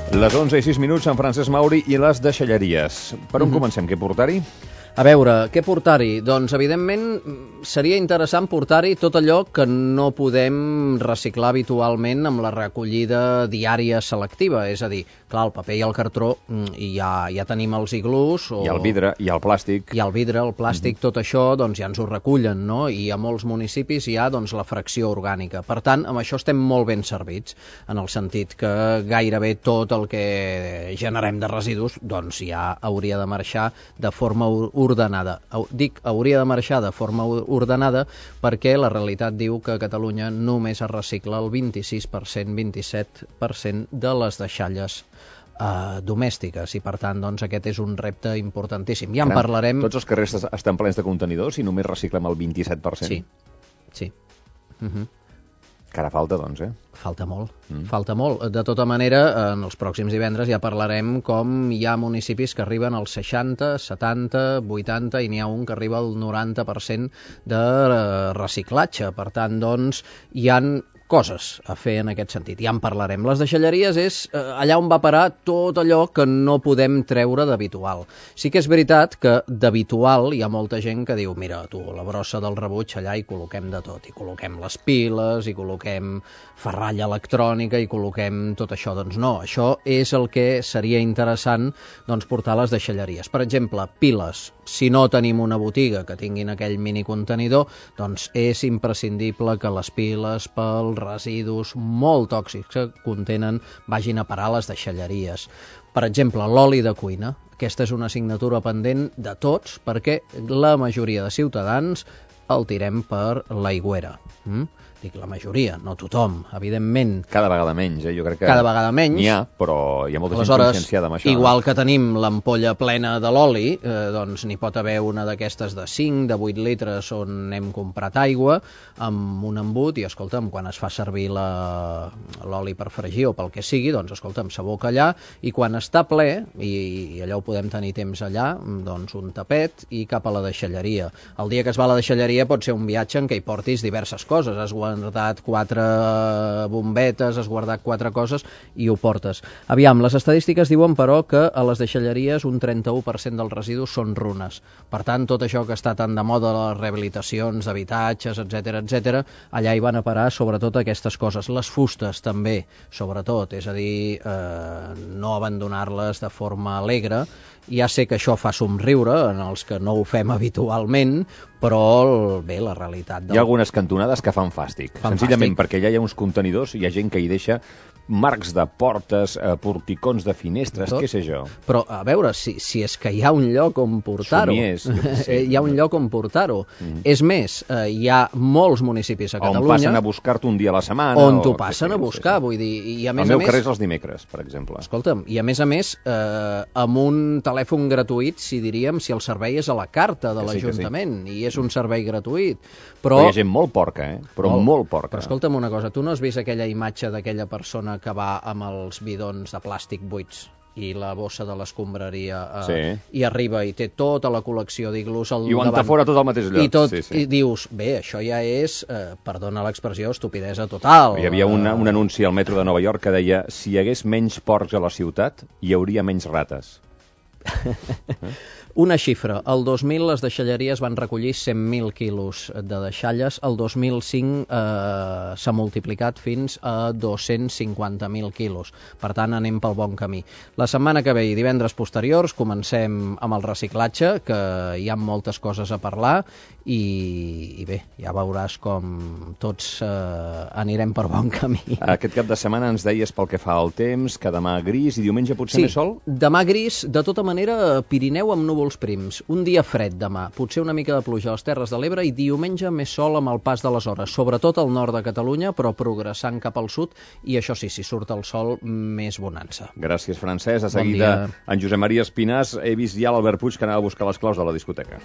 Les 11:06, en Francesc Mauri i les deixalleries. Per on comencem? Què portar-hi? A veure, què portar-hi? Doncs, evidentment, seria interessant portar-hi tot allò que no podem reciclar habitualment amb la recollida diària selectiva. És a dir, clar, el paper i el cartró ja tenim els iglús. I el vidre, i el plàstic. I el vidre, el plàstic, tot això doncs, ja ens ho recullen, no? I a molts municipis hi ha doncs, la fracció orgànica. Per tant, amb això estem molt ben servits, en el sentit que gairebé tot el que generem de residus doncs, ja hauria de marxar de forma ordenada. Dic hauria de marxar de forma ordenada perquè la realitat diu que a Catalunya només es recicla el 26%, 27% de les deixalles domèstiques i per tant doncs, aquest és un repte importantíssim. Ja en parlarem... Tots els carrers estan plens de contenidors i només reciclem el 27%? Sí. Que ara falta, doncs, Falta molt. De tota manera, en els pròxims divendres ja parlarem com hi ha municipis que arriben al 60, 70, 80 i n'hi ha un que arriba al 90% de reciclatge. Per tant, doncs, hi han coses a fer en aquest sentit. Ja en parlarem. Les deixalleries és allà on va parar tot allò que no podem treure d'habitual. Sí que és veritat que d'habitual hi ha molta gent que diu mira, tu, la brossa del rebuig allà hi col·loquem de tot. Hi col·loquem les piles, hi col·loquem ferralla electrònica, hi col·loquem tot això. Doncs no, això és el que seria interessant doncs, portar a les deixalleries. Per exemple, piles. Si no tenim una botiga que tinguin aquell minicontenidor, doncs és imprescindible que les piles pels residus molt tòxics que contenen vagin a parar a les deixalleries. Per exemple, l'oli de cuina. Aquesta és una assignatura pendent de tots perquè la majoria de ciutadans el tirem per l'aigüera. Dic la majoria, no tothom, evidentment. Cada vegada menys, Jo crec que cada vegada menys. N'hi ha, però hi ha molta gent conscienciada amb això. Igual que tenim l'ampolla plena de l'oli, doncs n'hi pot haver una d'aquestes de 5, de 8 litres on hem comprat aigua amb un embut i, escolta'm, quan es fa servir l'oli per fregir o pel que sigui, doncs, escolta'm, s'aboca allà i quan està ple, i allò ho podem tenir temps allà, doncs un tapet i cap a la deixalleria. El dia que es va a la deixalleria pot ser un viatge en què hi portis diverses coses. Has guardat 4 bombetes, has guardat 4 coses i ho portes. Aviam, les estadístiques diuen, però, que a les deixalleries un 31% dels residus són runes. Per tant, tot això que està tan de moda, les rehabilitacions d'habitatges, etc., allà hi van a parar sobretot aquestes coses. Les fustes també, sobretot, és a dir, no abandonar-les de forma alegre. Ja sé que això fa somriure en els que no ho fem habitualment, però bé, la realitat... Hi ha algunes cantonades que fan fàstic. Senzillament perquè allà hi ha uns contenidors i hi ha gent que hi deixa marcs de portes, porticons de finestres, què sé jo. Però, a veure, si és que hi ha un lloc on portar-ho. Hi ha un lloc on portar-ho. És més, hi ha molts municipis a Catalunya... On passen a buscar-te un dia a la setmana. On t'ho passen a buscar, vull dir... El meu carrer és els dimecres, per exemple. Escolta'm, i a més, amb un telèfon gratuït, si el servei és a la carta de l'Ajuntament, i és un servei gratuït. Però hi ha gent molt porca, Però molt porca. Però escolta'm una cosa, tu no has vist aquella imatge d'aquella persona que va amb els bidons de plàstic buits i la bossa de l'escombraria i arriba i té tota la col·lecció d'iglús al davant. I ho entafora tot al mateix lloc. I dius, bé, això ja és, perdona l'expressió, estupidesa total. Hi havia un anunci al metro de Nova York que deia si hi hagués menys porcs a la ciutat, hi hauria menys rates. Una xifra, el 2000 les deixalleries van recollir 100.000 quilos de deixalles, el 2005 s'ha multiplicat fins a 250.000 quilos, per tant anem pel bon camí. La setmana que ve i divendres posteriors comencem amb el reciclatge, que hi ha moltes coses a parlar i bé, ja veuràs com tots anirem per bon camí. Aquest cap de setmana ens deies pel que fa al temps, que demà gris i diumenge potser més sol? Sí, demà gris, de tota manera Pirineu amb núvols prims, un dia fred demà, potser una mica de pluja a les Terres de l'Ebre i diumenge més sol amb el pas de les hores, sobretot al nord de Catalunya, però progressant cap al sud i això sí, si surt el sol, més bonança. Gràcies, Francesc. A seguida, en Josep Maria Espinàs, he vist ja l'Albert Puig que anava a buscar les claus de la discoteca.